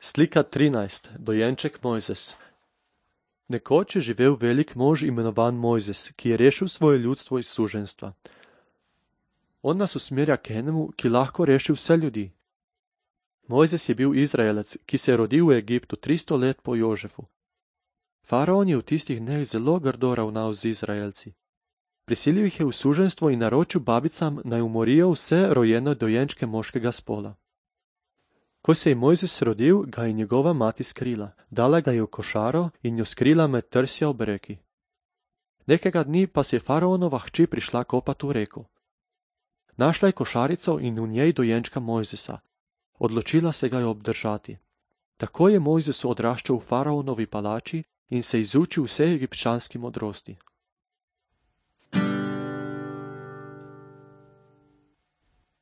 Slika 13. Dojenček Mojzes. Nekoč je živel velik mož imenovan Mojzes, ki je rešil svoje ljudstvo iz suženjstva. On nas usmerja k enemu, ki lahko reši vse ljudi. Mojzes je bil Izraelec, ki se je rodil v Egiptu 300 let po Jožefu. Faraon je v tistih dneh zelo grdo ravnal z Izraelci. Prisilil jih je v suženjstvo in naročil babicam, naj umorijo vse rojene dojenčke moškega spola. Ko se je Mojzes rodil, ga je njegova mati skrila, dala ga je v košaro in jo skrila med trsja ob reki. Nekega dni pa se je faraonova hči prišla kopat v reko. Našla je košarico in v njej dojenčka Mojzesa. Odločila se ga je obdržati. Tako je Mojzes odraščal v faraonovi palači in se izučil vse egipčanski modrosti.